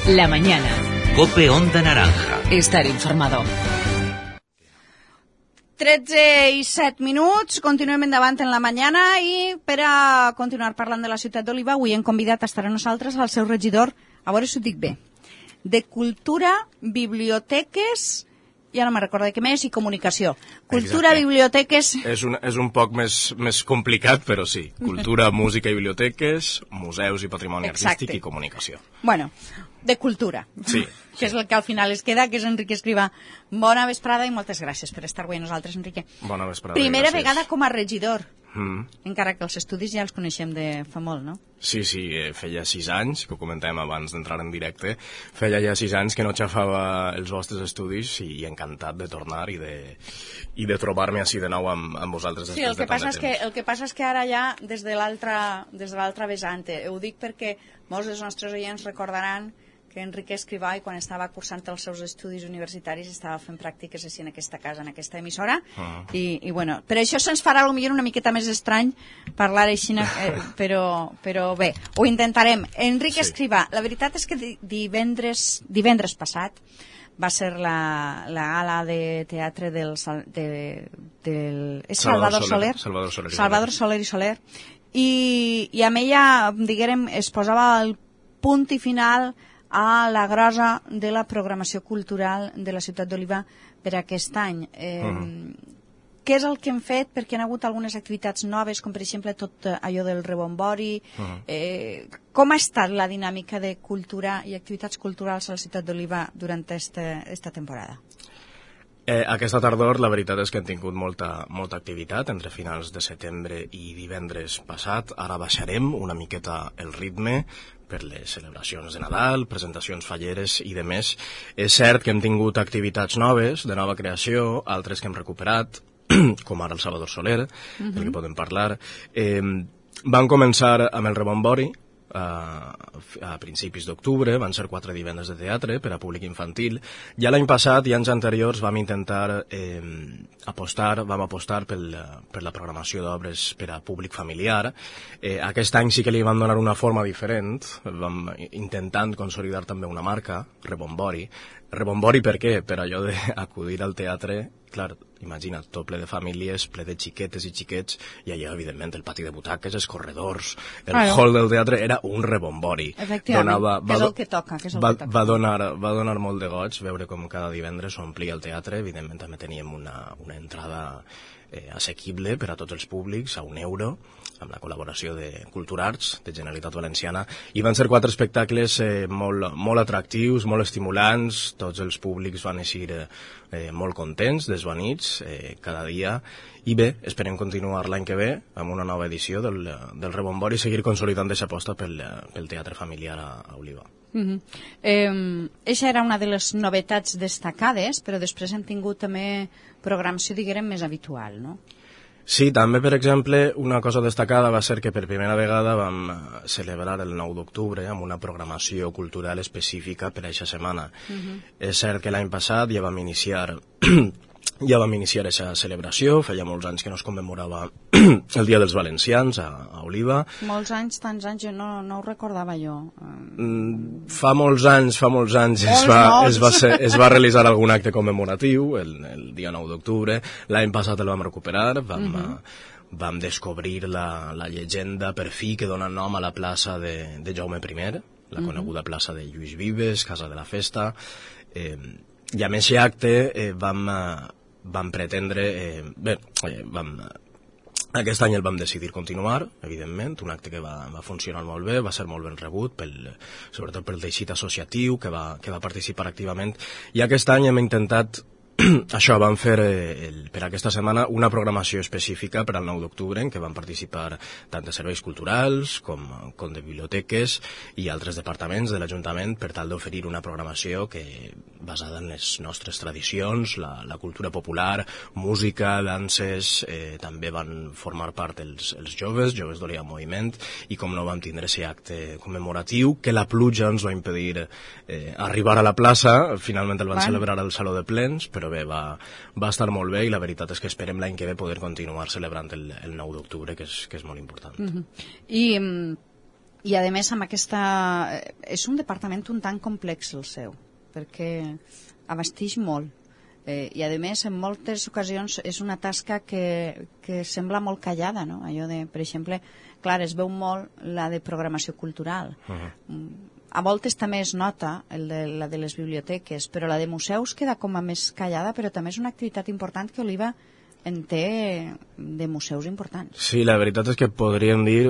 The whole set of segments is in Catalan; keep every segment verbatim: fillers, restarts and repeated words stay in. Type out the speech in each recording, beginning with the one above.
La mañana. Cope Onda Naranja. Estar informado. tretze i set minuts, continuem endavant en la mañana i per a continuar parlant de la ciutat d'Oliva avui hem convidat a estar a nosaltres al seu regidor, a veure si ho dic bé, de Cultura, Biblioteques, ja no me recordo de què més, i Comunicació. Cultura, Exacte. Biblioteques... És un, és un poc més, més complicat, però sí. Cultura, música i biblioteques, museus i patrimoni Exacte. artístic i comunicació. Bueno, de cultura. Sí. Que és el que al final es queda, que és Enrique Escrivà. Bona vesprada i moltes gràcies per estar avui a nosaltres, Enrique. Bona vesprada. Primera gràcies. vegada com a regidor. Mm. Encara que els estudis ja els coneixem de fa molt, no? Sí, sí, eh, feia sis anys, que ho comentàvem abans d'entrar en directe, feia ja sis anys que no xafava els vostres estudis i encantat de tornar i de, i de trobar-me així de nou amb, amb vosaltres Sí, després el que, de tant passa de és que, temps. el que passa és que ara ja des de l'altra des de l'altra vessant, eh, ho dic perquè molts dels nostres oients recordaran que Enrique Escrivà, i quan estava cursant els seus estudis universitaris, estava fent pràctiques així en aquesta casa, en aquesta emissora, Uh-huh. i, i bueno, per això se'ns farà potser una miqueta més estrany parlar així, eh, però, però bé, ho intentarem. Enrique Sí. Escrivà, la veritat és que di- divendres, divendres passat va ser la, la gala de teatre del, Sal- de, del és Salvador, Salvador Soler, Soler, Salvador Soler i Salvador Soler i Soler, i, i amb ella, diguem, es posava el punt i final a la grosa de la programació cultural de la ciutat d'Oliva per aquest any. Eh, Mm. Què és el que hem fet? Perquè han hagut algunes activitats noves, com per exemple tot eh, allò del rebombori. Uh-huh. eh, com ha estat la dinàmica de cultura i activitats culturals a la ciutat d'Oliva durant esta, esta temporada? Eh, aquesta tardor la veritat és que hem tingut molta, molta activitat entre finals de setembre i divendres passat. Ara baixarem una miqueta el ritme per les celebracions de Nadal, presentacions falleres i de més. És cert que hem tingut activitats noves, de nova creació, altres que hem recuperat, com ara el Salvador Soler, uh-huh. del que podem parlar. Eh, van començar amb el rebombori, a, a principis d'octubre, van ser quatre divendres de teatre per a públic infantil. Ja l'any passat i anys anteriors vam intentar eh, apostar, vam apostar pel, per la programació d'obres per a públic familiar. Eh, aquest any sí que li vam donar una forma diferent, vam intentant consolidar també una marca, Rebombori. Rebombori per què? Per allò d'acudir al teatre, clar, imagina't, tot ple de famílies, ple de xiquetes i xiquets, i allà, evidentment, el pati de butaques, els corredors, el Claro. hall del teatre, era un rebombori. Efectivament, Donava- que és do- el que toca, que és el va, que toca. va, donar, va donar molt de goig veure com cada divendres s'omplia el teatre. Evidentment també teníem una, una entrada eh, assequible per a tots els públics, a un euro, amb la col·laboració de Culturarts, de Generalitat Valenciana, i van ser quatre espectacles eh, molt, molt atractius, molt estimulants, tots els públics van eixir eh, eh, molt contents, desvanits, eh, cada dia, i bé, esperem continuar l'any que ve amb una nova edició del, del Rebombori i seguir consolidant aquesta aposta pel, pel teatre familiar a, a Oliva. Uh-huh. eh, Eixa era una de les novetats destacades, però després hem tingut també programació, diguem, més habitual, no? Sí, també, per exemple, una cosa destacada va ser que per primera vegada vam eh, celebrar el nou d'octubre amb una programació cultural específica per a aquesta setmana. Uh-huh. És cert que l'any passat ja vam iniciar ja vam iniciar aquesta celebració, feia molts anys que no es commemorava el Dia dels Valencians a, a Oliva. Molts anys, tants anys, jo no, no ho recordava jo. Mm, fa molts anys, fa molts anys es Molts, va, molts. es, va ser, es va realitzar algun acte commemoratiu el, el dia nou d'octubre. L'any passat el vam recuperar, vam, uh-huh. vam descobrir la, la llegenda per fi que dona nom a la plaça de, de Jaume I, la uh-huh. coneguda plaça de Lluís Vives, Casa de la Festa. Eh, I amb aquest acte eh, vam, eh, vam pretendre... Eh, bé, eh, vam... Aquest any el vam decidir continuar, evidentment, un acte que va, va funcionar molt bé, va ser molt ben rebut, pel, sobretot pel teixit associatiu, que va, que va participar activament, i aquest any hem intentat, això, vam fer eh, el, per aquesta setmana una programació específica per al nou d'octubre, en què van participar tant de serveis culturals com, com de biblioteques i altres departaments de l'Ajuntament per tal d'oferir una programació que basada en les nostres tradicions, la, la cultura popular, música, danses, eh, també van formar part els, els joves, joves d'Oliva Moviment, i com no vam tindre aquest acte commemoratiu, que la pluja ens va impedir eh, arribar a la plaça, finalment el van Bueno. celebrar al Saló de Plens, però bé, va, va estar molt bé i la veritat és que esperem l'any que ve poder continuar celebrant el, el nou d'octubre, que és, que és molt important. Uh-huh. I mm, I a més amb aquesta... És un departament un tant complex el seu, perquè abasteix molt. Eh, I a més en moltes ocasions és una tasca que, que sembla molt callada, no? Allò de, per exemple, clar, es veu molt la de programació cultural. Uh-huh. A voltes també es nota el de, la de les biblioteques, però la de museus queda com a més callada, però també és una activitat important que Oliva en té de museus importants. Sí, la veritat és que podríem dir,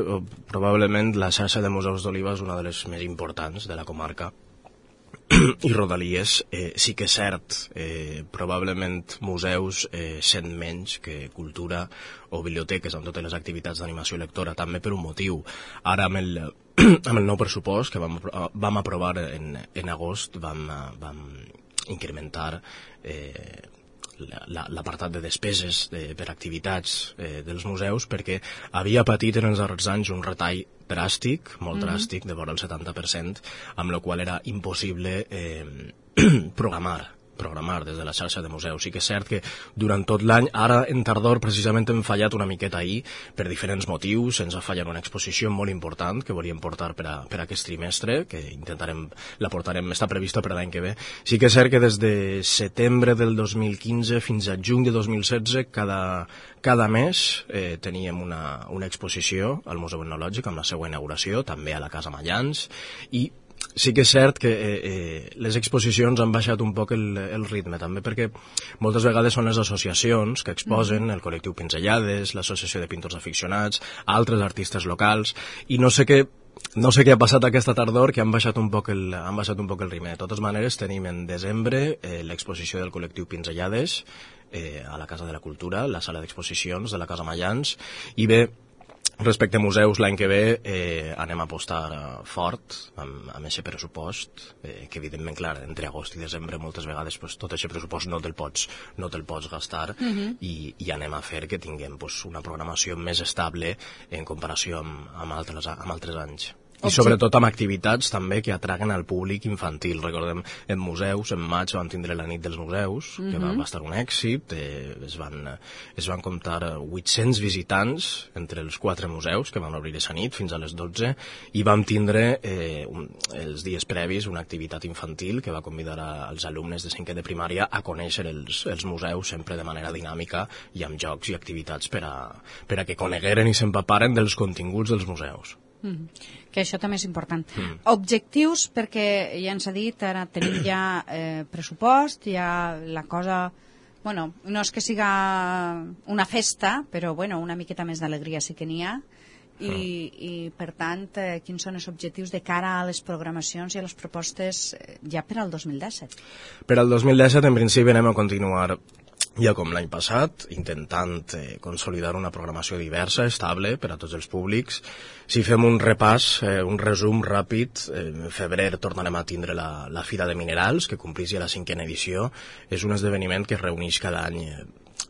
probablement la xarxa de museus d'Oliva és una de les més importants de la comarca i rodalies. Eh, sí que és cert, eh, probablement museus eh, sent menys que cultura o biblioteques amb totes les activitats d'animació lectora, també per un motiu. Ara amb el, amb el nou pressupost que vam, vam aprovar en, en agost vam, vam incrementar eh, l'apartat de despeses de, per activitats eh, dels museus, perquè havia patit en els darrers anys un retall dràstic, molt mm-hmm. dràstic, de vora el setanta per cent, amb la qual era impossible eh, programar programar des de la xarxa de museus. Sí que és cert que durant tot l'any, ara en tardor precisament hem fallat una miqueta ahir per diferents motius. Ens ha fallat una exposició molt important que volíem portar per a, per a aquest trimestre, que intentarem, la portarem, està prevista per l'any que ve. Sí que és cert que des de setembre del dos mil quinze fins a juny de dos mil setze cada, cada mes eh, teníem una, una exposició al Museu Etnològic amb la seva inauguració, també a la Casa Mallans, i sí que és cert que eh, eh, les exposicions han baixat un poc el, el ritme, també perquè moltes vegades són les associacions que exposen, el col·lectiu Pinzellades, l'associació de pintors aficionats, altres artistes locals, i no sé què no sé què ha passat aquesta tardor, que han baixat un poc el, han baixat un poc el ritme. De totes maneres, tenim en desembre eh, l'exposició del col·lectiu Pinzellades eh, a la Casa de la Cultura, la sala d'exposicions de la Casa Mallans, i bé, respecte a museus, l'any que ve eh, anem a apostar uh, fort amb, amb aquest pressupost, eh, que evidentment, clar, entre agost i desembre moltes vegades pues, tot aquest pressupost no te'l pots, no te'l pots gastar, uh-huh. i, i anem a fer que tinguem pues, una programació més estable en comparació amb, amb, altres, amb altres anys. I sobretot amb activitats també que atraguen al públic infantil. Recordem, en museus, en maig vam tindre la nit dels museus, que uh-huh. va estar un èxit, eh, es, van, es van comptar vuit-cents visitants entre els quatre museus que van obrir aquesta nit fins a les dotze, i vam tindre eh, un, els dies previs una activitat infantil que va convidar a, als alumnes de cinquè de primària a conèixer els, els museus sempre de manera dinàmica i amb jocs i activitats per a, per a que conegueren i s'empaparen dels continguts dels museus. Mm. Que això també és important. Mm. Objectius, perquè ja ens ha dit, ara tenim ja eh, pressupost, ja la cosa... Bueno, no és que siga una festa, però bueno, una miqueta més d'alegria sí que n'hi ha. I, mm. i per tant, eh, quins són els objectius de cara a les programacions i a les propostes eh, ja per al dos mil disset? Per al dos mil disset, en principi, anem a continuar ja com l'any passat, intentant eh, consolidar una programació diversa, estable per a tots els públics. Si fem un repàs, eh, un resum ràpid, eh, en febrer tornarem a tindre la, la Fira de Minerals, que complís ja la cinquena edició. És un esdeveniment que es reuneix cada any.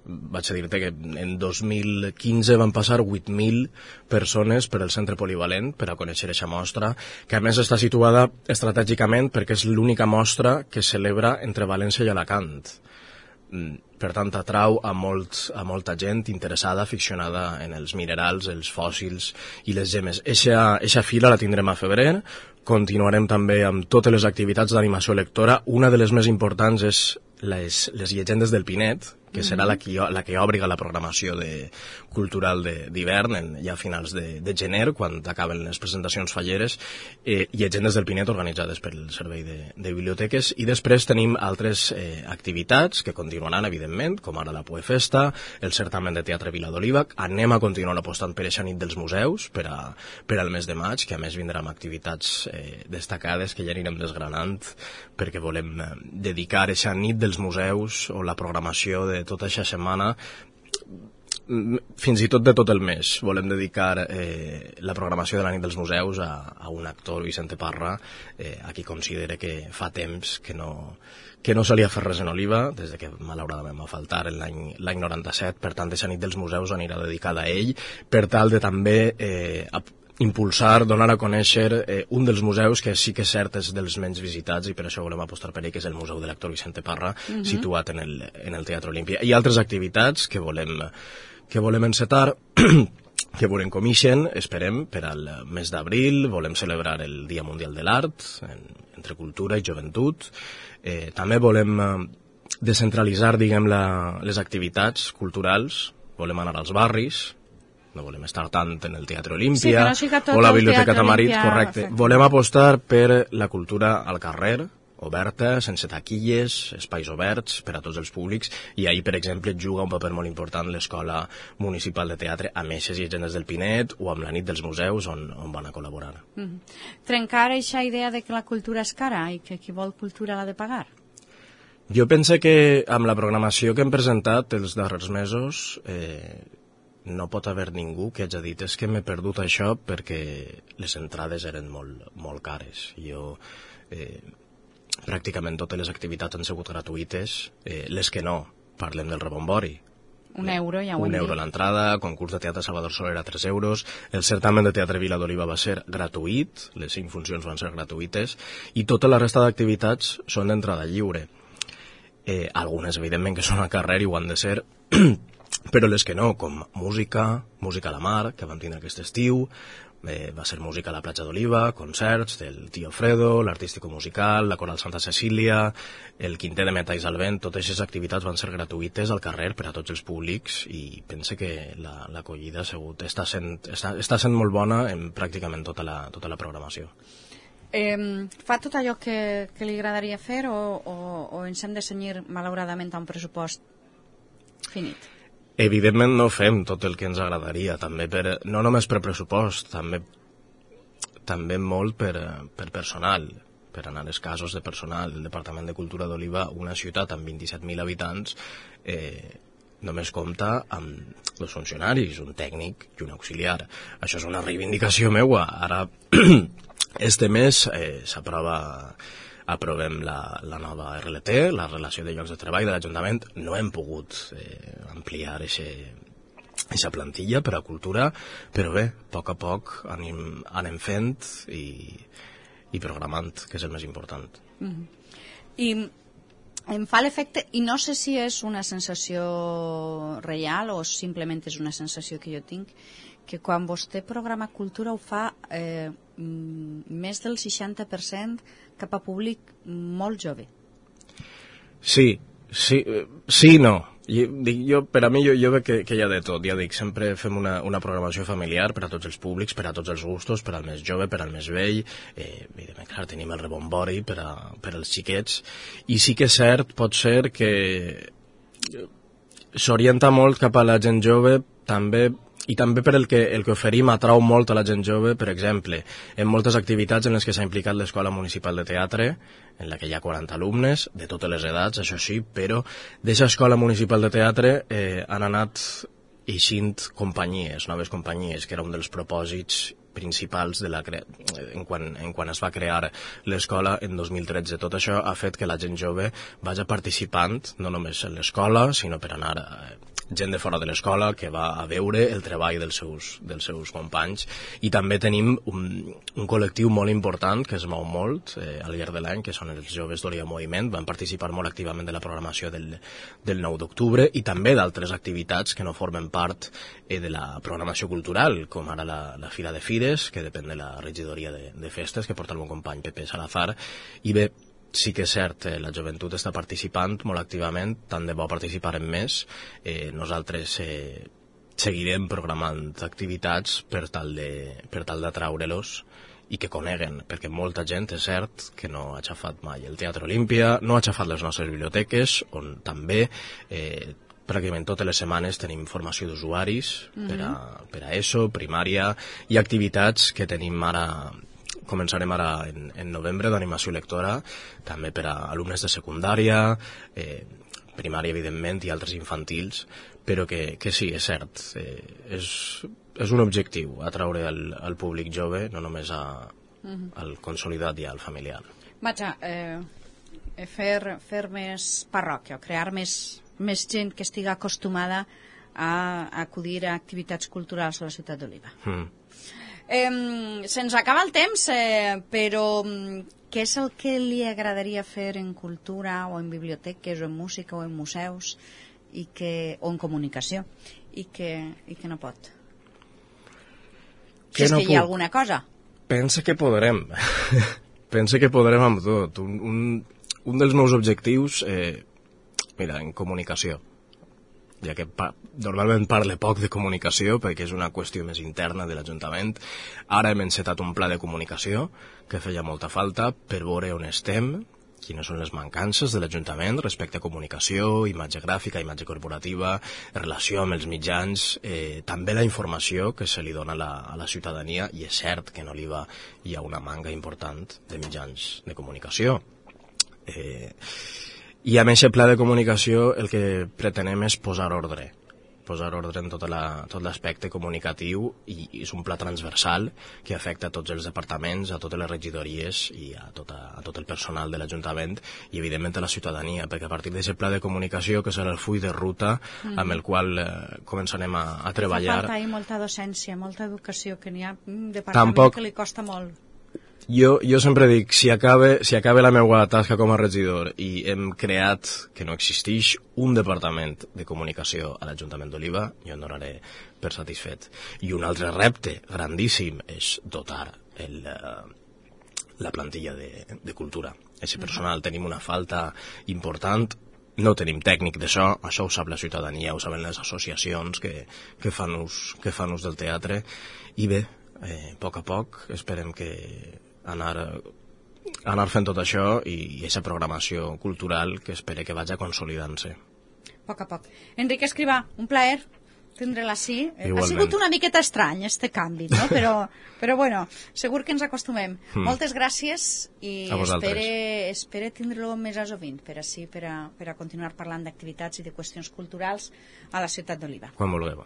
Vaig a dir-te que en dos mil quinze van passar vuit mil persones per al centre polivalent per a conèixer aquesta mostra, que a més està situada estratègicament perquè és l'única mostra que celebra entre València i Alacant. Per tant, atrau a, molt, a molta gent interessada, aficionada en els minerals, els fòssils i les gemes. Eixa fira la tindrem a febrer. Continuarem també amb totes les activitats d'animació lectora. Una de les més importants és les, les llegendes del Pinet, que serà la que, la que obriga la programació de, cultural d'hivern, ja a finals de, de gener, quan acaben les presentacions falleres, eh, llegendes del Pinet organitzades pel Servei de, de Biblioteques, i després tenim altres eh, activitats que continuaran, evidentment, com ara la Poefesta, el certamen de teatre Vila d'Oliva. Anem a continuar apostant per eixa nit dels museus, per, a, per al mes de maig, que a més vindrà amb activitats eh, destacades que ja anirem desgranant, perquè volem eh, dedicar eixa nit dels museus o la programació de tota aquesta setmana, fins i tot de tot el mes. Volem dedicar eh, la programació de la nit dels museus a, a un actor, Vicente Parra, eh, a qui considera que fa temps que no, que no solia fer res en Oliva, des de que malauradament va faltar l'any noranta-set. Per tant, aquesta nit dels museus anirà dedicada a ell, per tal de també eh, impulsar, donar a conèixer eh, un dels museus que sí que és cert és dels menys visitats, i per això volem apostar per ell, que és el Museu de l'actor Vicente Parra, uh-huh. situat en el, en el Teatre Olímpia. Hi ha altres activitats que volem, que volem encetar. que veurem com ixen, esperem, per al mes d'abril. Volem celebrar el Dia Mundial de l'Art, en, entre cultura i joventut. Eh, també volem eh, descentralitzar, diguem, la, les activitats culturals. Volem anar als barris, no volem estar tant en el Teatre Olímpia sí, no o la Biblioteca Teatre Tamarit, Olímpia, correcte. perfecte. Volem apostar per la cultura al carrer, oberta, sense taquilles, espais oberts per a tots els públics, i ahir, per exemple, juga un paper molt important l'Escola Municipal de Teatre amb eixes llegendes del Pinet o amb la nit dels museus on, on van a col·laborar. Mm-hmm. Trencar aquesta idea de que la cultura és cara i que qui vol cultura l'ha de pagar? Jo penso que amb la programació que hem presentat els darrers mesos eh, no pot haver ningú que hagi dit és que m'he perdut això perquè les entrades eren molt, molt cares. Jo... Eh, pràcticament totes les activitats han sigut gratuïtes, eh, les que no, parlem del rebombori. Un euro, ja ho hem Un euro dit. a l'entrada, concurs de teatre Salvador Soler a tres euros, el certamen de teatre Vila d'Oliva va ser gratuït, les cinc funcions van ser gratuïtes, i tota la resta d'activitats són d'entrada lliure. Eh, algunes, evidentment, que són al carrer i ho han de ser, però les que no, com música, música a la mar, que vam tindre aquest estiu, Eh, va ser música a la platja d'Oliva, concerts del Tio Fredo, l'Artístico Musical, la Coral Santa Cecília, el Quintet de Metalls al Vent. Totes aquestes activitats van ser gratuïtes al carrer per a tots els públics i pense que l'acollida la, ha sigut, està, sent, està, està sent molt bona en pràcticament tota la, tota la programació. Eh, fa tot allò que, que li agradaria fer o, o, o ens hem de cenyir malauradament a un pressupost finit? Evidentment no fem tot el que ens agradaria, també per, no només per pressupost, també, també molt per, per personal, per anar als casos de personal. El Departament de Cultura d'Oliva, una ciutat amb vint-i-set mil habitants, eh, només compta amb dos funcionaris, un tècnic i un auxiliar. Això és una reivindicació meua. Ara, este mes, eh, s'aprova... aprovem la, la nova R L T, la relació de llocs de treball de l'Ajuntament. No hem pogut eh, ampliar aquesta plantilla per a cultura, però bé, a poc a poc anem, anem fent i, i programant, que és el més important. Mm-hmm. I em fa l'efecte, i no sé si és una sensació real o simplement és una sensació que jo tinc, que quan vostè programa cultura ho fa eh, més del seixanta per cent cap a públic molt jove. Sí, sí, sí no. Jo, dic, jo, per a mi jo, jo veig que, que hi ha de tot. Ja dic, sempre fem una, una programació familiar per a tots els públics, per a tots els gustos, per al més jove, per al més vell. Eh, evidentment, clar, tenim el rebombori per, a, per als xiquets. I sí que és cert, pot ser que s'orienta molt cap a la gent jove, també... I també per el que, el que oferim atrau molt a la gent jove, per exemple, en moltes activitats en les que s'ha implicat l'Escola Municipal de Teatre, en la que hi ha quaranta alumnes, de totes les edats, això sí, però d'aquesta Escola Municipal de Teatre eh, han anat eixint companyies, noves companyies, que era un dels propòsits principals de la cre... en, quan, en quan es va crear l'escola en dos mil tretze. Tot això ha fet que la gent jove vagi participant, no només en l'escola, sinó per anar... Eh, gent de fora de l'escola que va a veure el treball dels seus, dels seus companys, i també tenim un, un col·lectiu molt important que es mou molt eh, al llarg de l'any, que són els joves d'Oliva Moviment. Van participar molt activament de la programació del, del nou d'octubre i també d'altres activitats que no formen part eh, de la programació cultural, com ara la, la Fira de Fires, que depèn de la regidoria de, de festes, que porta el bon company Pepe Salazar. I bé, sí que és cert, eh, la joventut està participant molt activament, tant de bo participarem més. Eh, nosaltres eh, seguirem programant activitats per tal de, per tal d'atraure-los i que coneguen, perquè molta gent és cert que no ha xafat mai el Teatre Olímpia, no ha xafat les nostres biblioteques, on també eh, pràcticament totes les setmanes tenim formació d'usuaris mm-hmm. per, a, per a ESO, primària, i activitats que tenim ara... Començarem ara en, en novembre d'animació lectora, també per a alumnes de secundària, eh, primària, evidentment, i altres infantils, però que, que sí, és cert, eh, és, és un objectiu, atraure al, al públic jove, no només a, uh-huh. al consolidat i al familiar. Vaja, eh, fer, fer més parròquia, crear més, més gent que estigui acostumada a, a acudir a activitats culturals a la ciutat d'Oliva. Mm. Eh, se'ns acaba el temps, eh, però què és el que li agradaria fer en cultura o en biblioteques o en música o en museus i que, o en comunicació i que, i que no pot? Si és no que hi ha puc? alguna cosa. Pensa que podrem. Pensa que podrem amb tot. Un, un, un dels meus objectius, eh, mira, en comunicació, ja que pa normalment parle poc de comunicació perquè és una qüestió més interna de l'Ajuntament. Ara hem encetat un pla de comunicació que feia molta falta per veure on estem, quines són les mancances de l'Ajuntament respecte a comunicació, imatge gràfica, imatge corporativa, relació amb els mitjans, eh, també la informació que se li dona a la, a la ciutadania, i és cert que en Oliva hi ha una manga important de mitjans de comunicació. Eh, I amb aquest pla de comunicació el que pretenem és posar ordre, posar ordre en tot la, tot l'aspecte comunicatiu, i, i és un pla transversal que afecta a tots els departaments, a totes les regidories i a, tota, a tot el personal de l'Ajuntament i evidentment a la ciutadania, perquè a partir d'aquest pla de comunicació, que serà el full de ruta mm. amb el qual eh, començarem a, a treballar. Fa falta molta docència, molta educació, que n'hi ha un departament Tampoc... que li costa molt. Jo, jo sempre dic, si acabe, si acabe la meva tasca com a regidor i hem creat, que no existeix, un departament de comunicació a l'Ajuntament d'Oliva, jo en donaré per satisfet. I un altre repte grandíssim és dotar el, la plantilla de, de cultura. Ese personal, tenim una falta important, no tenim tècnic d'això, això ho sap la ciutadania, ho saben les associacions que, que, fan, ús, que fan ús del teatre, i bé, eh, a poc a poc esperem que anar, anar fent tot això i aquesta programació cultural que espere que vagi consolidant-se. A poc a poc. Enric Escrivà, un plaer tindre-la així. Igualment. Ha sigut una miqueta estrany, este canvi, no? Però, però bueno, segur que ens acostumem. Mm. Moltes gràcies i espere, espere tindre-lo més a sovint per així, per a, per a continuar parlant d'activitats i de qüestions culturals a la ciutat d'Oliva. Quan vulgueu.